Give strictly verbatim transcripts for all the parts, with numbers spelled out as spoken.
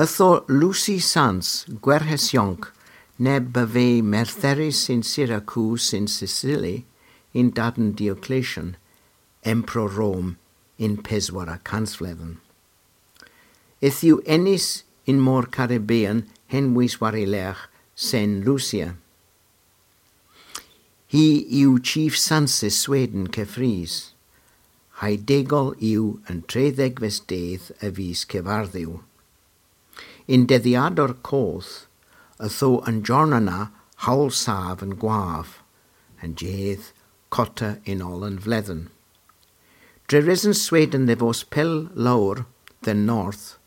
Ytho Lucy Sans, gwerthys yonk, neb a veu merthyerys yn Syrakus yn Sicily, yn tiden Diocletian, Emperor Rom, yn peswara kansvledhen. Yth yw enys yn mor Caribbean henwys war y lergh Sen Lucia. Hi yw chief sansys Sweden keffrys. Ha'y degol yw an trydhegves dydh a vis Kevardhu. Yn dedhyader koth, ytho an jorna na howl sav an gwav, an jydh kotta yn oll an vledhen. Dre reson Sweden dhe vos pell lowr dhe'n north,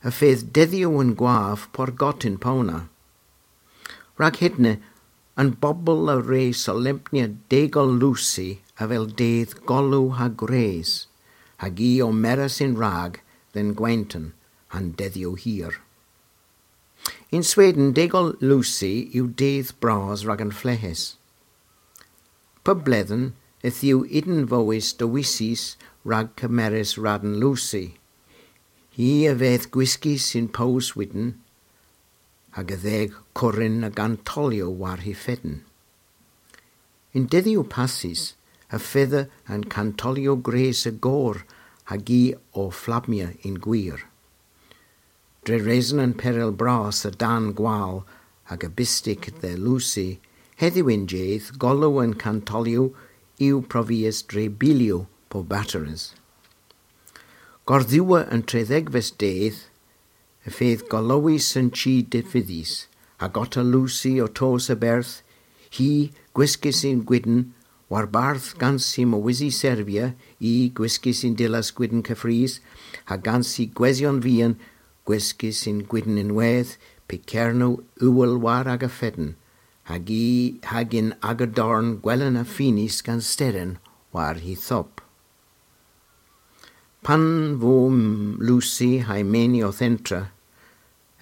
y fydh dedhyow an gwav por gott yn powna. Rag hedna, an bobel a wre solempnya degol Lucy avel dydh golow ha gwres, hag i ow mires yn-rag dhe'n gwenton ha'n dedhyow hir. Yn Sweden, degol Lucy yw dydh bras rag an fleghes. Pub bledhen, yth yw ynwedh dewisys rag kemeres radn Lucy. Hi a veu gwiskys yn pows wydn, hag a dheu kurun a gantolyow war hy fedn. Yn dedhyow passys, y fedha an kantolyow gwres a gour hag i ow flammya yn gwir. Dre reson an perel bras a-dann gwal hag a bystik dhe Lucy, hedhyw y'n jydh golow an kantolyow yw provies dre bilyow po batteries. Gordhewer an trydhegves dydh, y fydh golowys an chi difythys, hag otta Lucy ow tos a-berth, hi gwiskys yn gwydn, warbarth gans hy mowysi servya, i gwiskys yn dillas gwydn keffrys, ha gans hy gwesyon vian gwiskys yn gwydn ynwedh, py kernow ughel war aga fedn, hag i hag yn aga dorn gwelen a finis gans steren war hy thop. Pan vo Lucy ha'y meni owth entra,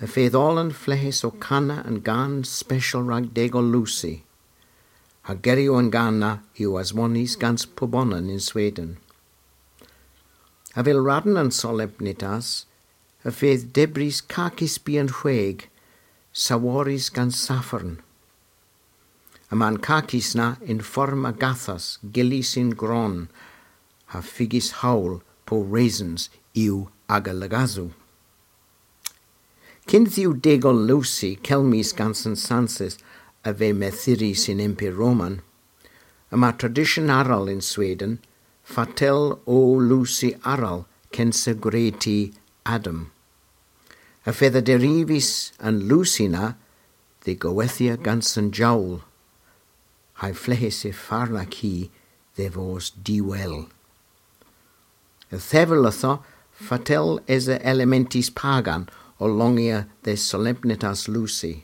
y fydh oll an fleghes ow kana an gan speshal rag degol Lucy, ha geryow an gan na yw aswonys gans pubonan yn Sweden. Avel radn an solempnitas, y fydh debrys kakys byghan hweg, saworys gans safron. Yma'n kakys na yn form a gathas, gyllys yn gron, ha figys howl po resons yw aga lagasow. Kynth yw degol Lucy kelmys gans an sansys a veu merthyerys yn Emperor Roman, yma tradisyon arall yn Sweden, fatel o Lucy arall kynsa gwreti Adam. Y fedha derivys an Lucy na dhe gowethya gans an jowl, ha'y fleghes y farnak hi dhe vos diwel. Y thevel ytho fatel esa elementys pagan ow longya dhe solempnitas Lucy.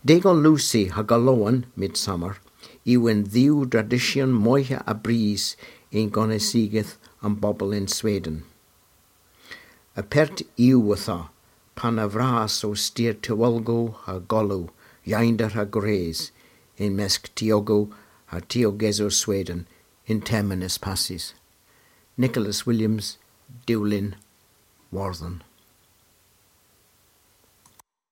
Degol Lucy ha Golowan, Midsummer, yw an dhew dradisyon moyha a bris yn gonisogeth an bobel yn Sweden. Apert yw ytho, pan a vras o styr tewlgow ha golow, yeynder ha gwres, yn mysk tiogow ha tiogesow Sweden, y'n termyn eus passys. Nicholas Williams, Dulyn, Wordhen.